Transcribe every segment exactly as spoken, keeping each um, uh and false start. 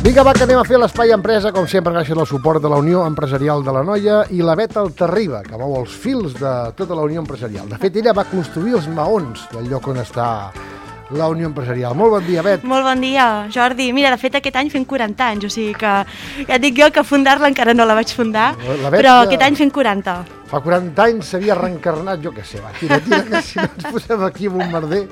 Vinga, va, que anem a fer l'Espai Empresa, com sempre, gràcies al suport de la Unió Empresarial de l'Anoia i la Bet Altarriba, que mou els fils de tota la Unió Empresarial. De fet, ella va construir els maons del lloc on està la Unió Empresarial. Molt bon dia, Bet. Molt bon dia, Jordi. Mira, de fet, aquest any fent quaranta anys, o sigui que ja et dic jo que fundar-la encara no la vaig fundar, però aquest any fent quaranta. Fa quaranta anys s'havia reencarnat, jo què sé, va, tira, tira, que si no ens posem aquí amb un merder.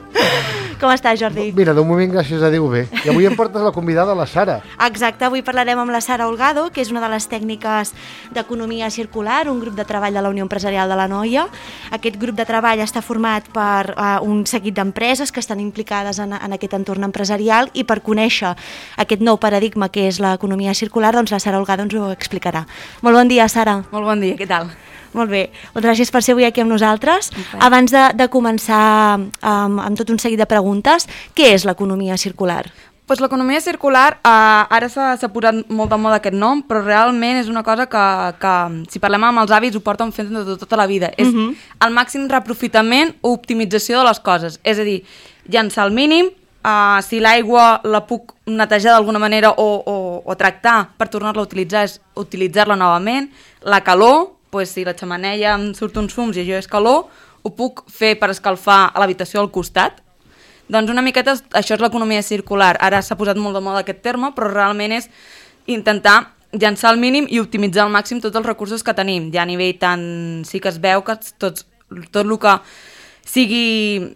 Com estàs, Jordi? Mira, d'un moment, gràcies a Déu, bé. I avui em portes la convidada, la Sara. Exacte, avui parlarem amb la Sara Holgado, que és una de les tècniques d'economia circular, un grup de treball de la Unió Empresarial de l'Anoia. Aquest grup de treball està format per uh, un seguit d'empreses que estan implicades en, en aquest entorn empresarial, i per conèixer aquest nou paradigma que és l'economia circular, doncs la Sara Holgado ens ho explicarà. Molt bon dia, Sara. Molt bon dia, què tal? Molt bé, doncs gràcies per ser avui aquí amb nosaltres. Okay. Abans de, de començar um, amb tot un seguit de preguntes, què és l'economia circular? Pues l'economia circular, eh, ara s'ha posat molt de moda aquest nom, però realment és una cosa que, que si parlem amb els avis, ho porten fent de tota la vida. És uh-huh. el màxim reaprofitament o optimització de les coses. És a dir, llançar el mínim, eh, si l'aigua la puc netejar d'alguna manera o, o, o tractar per tornar-la a utilitzar, és utilitzar-la novament. La calor, pues, si la xemeneia em surt uns fums i això és calor, ho puc fer per escalfar a l'habitació al costat. Doncs una miqueta això és l'economia circular. Ara s'ha posat molt de moda aquest terme, però realment és intentar llançar el mínim i optimitzar al màxim tots els recursos que tenim. Ja a nivell tant sí que es veu que tots, tot el que sigui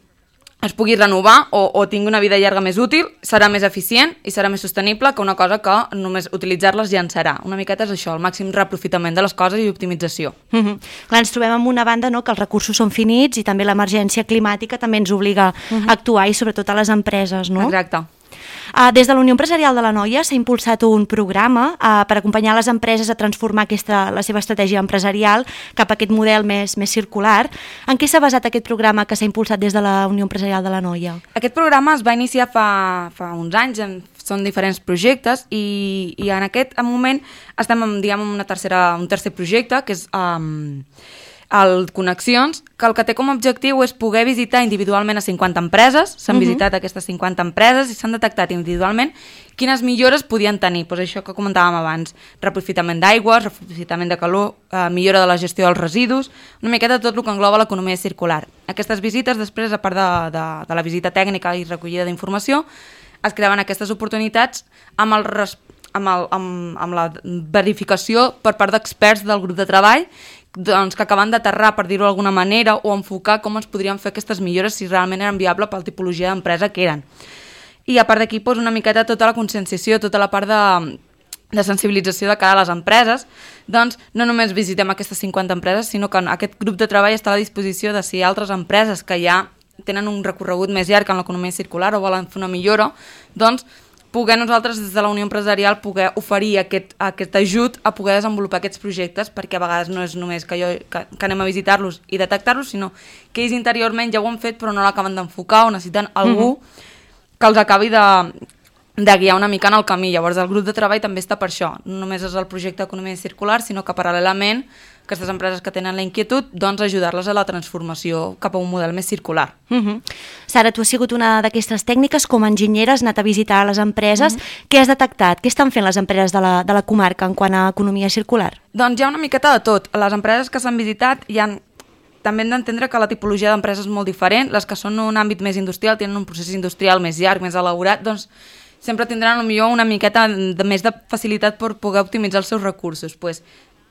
es pugui renovar o, o tingui una vida llarga més útil, serà més eficient i serà més sostenible que una cosa que només utilitzar-les llançarà. Una miqueta és això, el màxim reaprofitament de les coses i optimització. Uh-huh. Clar, ens trobem amb una banda, no?, que els recursos són finits i també l'emergència climàtica també ens obliga uh-huh. a actuar, i sobretot a les empreses, no? Exacte. Uh, des de la Unió Empresarial de l'Anoia s'ha impulsat un programa uh, per acompanyar les empreses a transformar aquesta, la seva estratègia empresarial cap a aquest model més, més circular. En què s'ha basat aquest programa que s'ha impulsat des de la Unió Empresarial de l'Anoia? Aquest programa es va iniciar fa, fa uns anys, en, són diferents projectes, i, i en aquest moment estem en, diguem, en una tercera, un tercer projecte, que és um, el Connexions, que el que té com a objectiu és poder visitar individualment a cinquanta empreses. S'han uh-huh. visitat aquestes cinquanta empreses i s'han detectat individualment quines millores podien tenir. Pues això que comentàvem abans, reaprofitament d'aigües, reaprofitament de calor, eh, millora de la gestió dels residus, una miqueta tot el que engloba l'economia circular. Aquestes visites, després, a part de, de, de la visita tècnica i recollida d'informació, es creaven aquestes oportunitats amb, el res, amb, el, amb, amb la verificació per part d'experts del grup de treball, doncs, que acaben d'aterrar, per dir-ho d'alguna manera, o enfocar com es podrien fer aquestes millores si realment eren viables per la tipologia d'empresa que eren. I a part d'aquí, doncs, una miqueta tota la conscienciació, tota la part de, de sensibilització de cara a les empreses. Doncs no només visitem aquestes cinquanta empreses, sinó que aquest grup de treball està a la disposició de si altres empreses que ja tenen un recorregut més llarg en l'economia circular o volen fer una millora, doncs poder nosaltres des de la Unió Empresarial poder oferir aquest, aquest ajut a poder desenvolupar aquests projectes, perquè a vegades no és només que, jo, que, que anem a visitar-los i detectar-los, sinó que ells interiorment ja ho han fet però no l'acaben d'enfocar o necessiten algú uh-huh. que els acabi de, de guiar una mica en el camí. Llavors el grup de treball també està per això, no només és el projecte d'economia circular, sinó que paral·lelament aquestes empreses que tenen la inquietud, doncs ajudar-les a la transformació cap a un model més circular. Uh-huh. Sara, tu has sigut una d'aquestes tècniques, com a enginyera, has anat a visitar les empreses. Uh-huh. Què has detectat? Què estan fent les empreses de la, de la comarca en quant a economia circular? Doncs hi ha una miqueta de tot. Les empreses que s'han visitat hi ha... també hem d'entendre que la tipologia d'empreses és molt diferent. Les que són en un àmbit més industrial, tenen un procés industrial més llarg, més elaborat, doncs sempre tindran potser una miqueta de més de facilitat per poder optimitzar els seus recursos. Pues,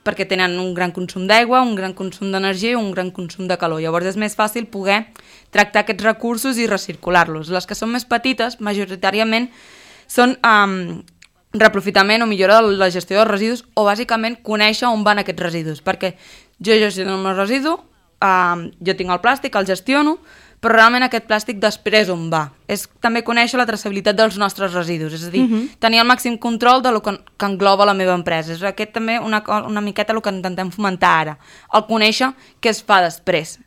perquè tenen un gran consum d'aigua, un gran consum d'energia i un gran consum de calor. Llavors és més fàcil poder tractar aquests recursos i recircular-los. Les que són més petites, majoritàriament, són um, reaprofitament o millora de la gestió dels residus, o bàsicament conèixer on van aquests residus, perquè jo gestiono el meu residu, um, jo tinc el plàstic, el gestiono, però realment aquest plàstic després on va. És també conèixer la traçabilitat dels nostres residus, és a dir, uh-huh. tenir el màxim control de lo que, que engloba la meva empresa. És aquest també una, una miqueta el que intentem fomentar ara, el conèixer què es fa després.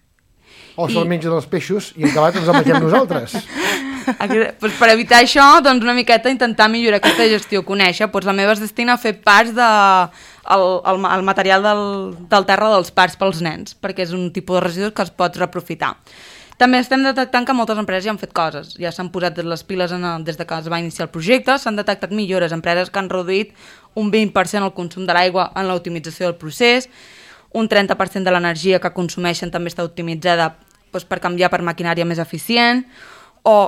O se'l mengen els peixos i acabat ens el mengem nosaltres. pues per evitar això, doncs una miqueta intentar millorar aquesta gestió, conèixer. Pues la meva es destina a fer parts de el, el, el material del, del terra dels parcs pels nens, perquè és un tipus de residus que es pot reaprofitar. També estem detectant que moltes empreses ja han fet coses, ja s'han posat les piles en el, des de que es va iniciar el projecte, s'han detectat millores, empreses que han reduït un vint per cent el consum de l'aigua en l'optimització del procés, un trenta per cent de l'energia que consumeixen també està optimitzada doncs, per canviar per maquinària més eficient, o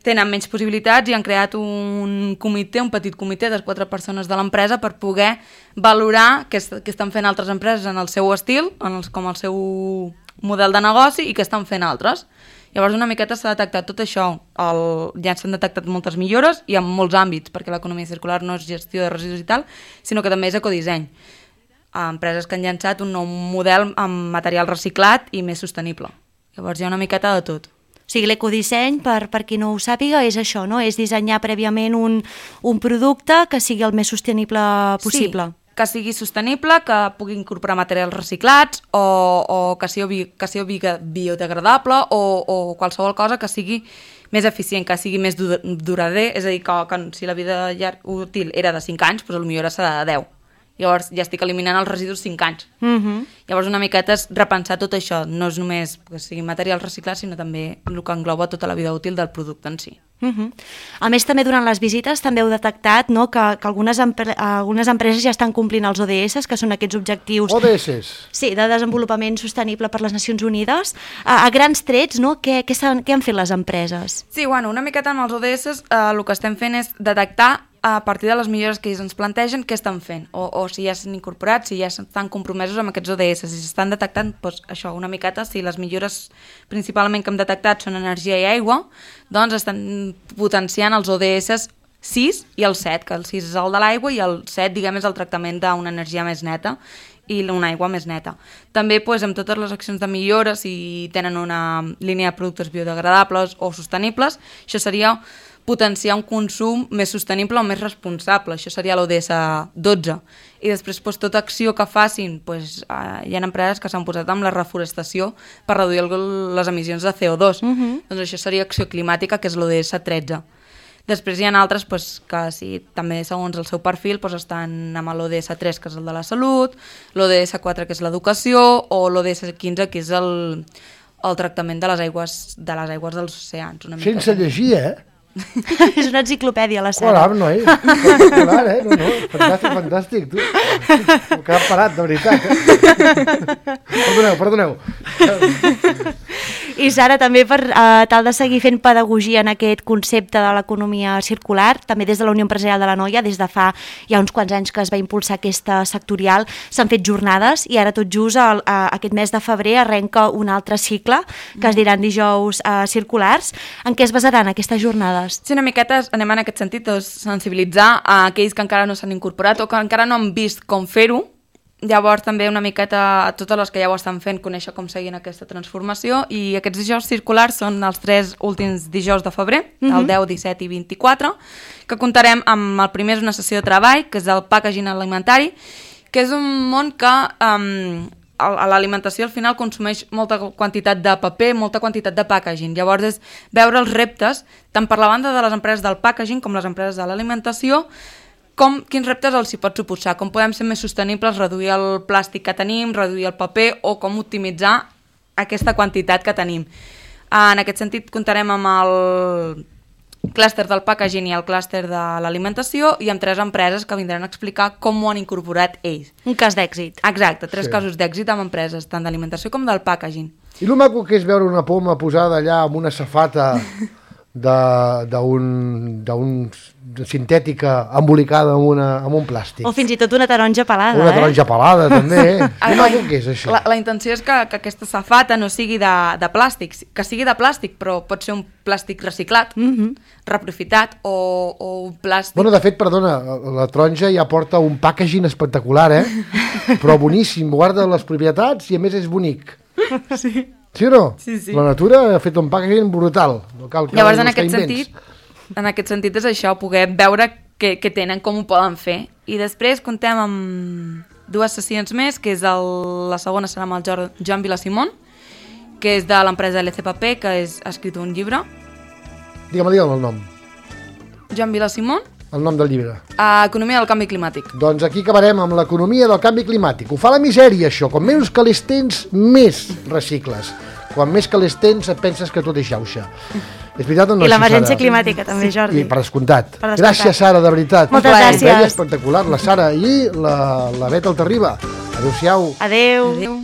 tenen menys possibilitats i han creat un comitè, un petit comitè de quatre persones de l'empresa per poder valorar què, est què estan fent altres empreses en el seu estil, en els, com el seu model de negoci i què estan fent altres. Llavors una miqueta s'ha detectat tot això, el, ja s'han detectat moltes millores i en molts àmbits, perquè l'economia circular no és gestió de residus i tal, sinó que també és ecodisseny. Empreses que han llançat un nou model amb material reciclat i més sostenible. Llavors hi ha una miqueta de tot. O sigui, l'ecodisseny, per, per qui no ho sàpiga, és això, no? És dissenyar prèviament un, un producte que sigui el més sostenible possible. Sí, que sigui sostenible, que pugui incorporar materials reciclats o, o que sigui, que sigui biodegradable o, o qualsevol cosa que sigui més eficient, que sigui més durader, és a dir, que, que si la vida útil era de cinc anys, doncs potser ara serà de deu. Llavors ja estic eliminant els residus cinc anys. Uh-huh. Llavors una miqueta és repensar tot això, no és només que sigui material reciclat, sinó també el que engloba tota la vida útil del producte en si. Uh-huh. A més, també durant les visites també heu detectat, no, que, que algunes, empre algunes empreses ja estan complint els O D S, que són aquests objectius... O D S? Sí, de desenvolupament sostenible per les Nacions Unides. A, a grans trets, no, què, què, han, què han fet les empreses? Sí, bueno, una miqueta amb els O D S eh, el que estem fent és detectar a partir de les millores que ells ens plantegen què estan fent, o, o si ja s'han incorporat, si ja estan compromesos amb aquests O D S, si s'estan detectant doncs, això, una miqueta, si les millores principalment que hem detectat són energia i aigua, doncs estan potenciant els O D S sis i el set, que el sis és el de l'aigua i el set, diguem, és el tractament d'una energia més neta i una aigua més neta. També doncs, amb totes les accions de millora, si tenen una línia de productes biodegradables o sostenibles, això seria potenciar un consum més sostenible o més responsable, això seria l'O D S dotze. I després doncs, tota acció que facin, doncs, eh, hi ha empreses que s'han posat amb la reforestació per reduir el, les emissions de C O dos. Uh-huh. Doncs això seria acció climàtica, que és l'O D S tretze. Després hi ha altres doncs, que sí, també segons el seu perfil doncs, estan amb l'O D S tres, que és el de la salut, l'O D S quatre, que és l'educació, o l'O D S quinze, que és el, el tractament de les aigües, de les aigües dels oceans. Una mica. Sense llegir, eh? És una enciclopèdia, la Sara. Hola, noi. Espectacular, eh? No, no, fantàstic, fantàstic. Tu. M'he quedat parat, de veritat. Eh? Perdoneu, perdoneu. I Sara, també per uh, tal de seguir fent pedagogia en aquest concepte de l'economia circular, també des de la Unió Empresarial de l'Anoia, des de fa ja uns quants anys que es va impulsar aquesta sectorial, s'han fet jornades i ara tot just el, uh, aquest mes de febrer arrenca un altre cicle que es diran dijous uh, circulars. En què es basaran aquestes jornades? Sí, una miqueta anem en aquest sentit, doncs, sensibilitzar a aquells que encara no s'han incorporat o que encara no han vist com fer-ho. Llavors també una miqueta a totes les que ja ho estan fent, conèixer com seguint aquesta transformació, i aquests dijous circulars són els tres últims dijous de febrer, uh-huh. el deu, disset i vint-i-quatre, que comptarem amb el primer és una sessió de treball, que és el packaging alimentari, que és un món que um, l'alimentació al final consumeix molta quantitat de paper, molta quantitat de packaging. Llavors és veure els reptes, tant per la banda de les empreses del packaging com les empreses de l'alimentació, com, quins reptes els hi pot suposar, com podem ser més sostenibles, reduir el plàstic que tenim, reduir el paper o com optimitzar aquesta quantitat que tenim. En aquest sentit comptarem amb el clúster del packaging i el clúster de l'alimentació i amb tres empreses que vindran a explicar com ho han incorporat ells. Un cas d'èxit. Exacte, tres Sí. casos d'èxit amb empreses, tant d'alimentació com del packaging. I el maco que és veure una poma posada allà amb una safata d'un sintètica embolicada amb, una, amb un plàstic. O fins i tot una taronja pelada. Una eh? taronja pelada, també. Ah, I maco que és això? La, la intenció és que, que aquesta safata no sigui de, de plàstic, que sigui de plàstic, però pot ser un plàstic reciclat, Mm-hmm. reaprofitat, o, o un plàstic... Bueno, de fet, perdona, la taronja ja porta un packaging espectacular, eh? Però boníssim, guarda les propietats i a més és bonic. Sí. Sí o no? Sí, sí. La natura ha fet un packaging brutal. No cal que Llavors, en buscar aquest, invents. sentit, en aquest sentit és això, poder veure què, què tenen, com ho poden fer. I després comptem amb dues sessions més, que és el, la segona serà amb el Jo- Joan Vilasimón, que és de l'empresa L C P P, que és, ha escrit un llibre, Digue'm, digue'm el nom. Joan Vila Simón, El nom del llibre. a Economia del canvi climàtic. Doncs aquí acabarem amb l'economia del canvi climàtic. Ho fa la misèria, això. Com menys calés tens, més recicles. Quan més calés tens, et penses que tot és xauxa. És veritat o no? I l'emergència Sara? climàtica també, Jordi. I per descomptat. Per descomptat. Gràcies, Sara, de veritat. Moltes Veia gràcies. espectacular, la Sara i la, la Beta Altarriba. Adéu-siau. Adéu. Adéu.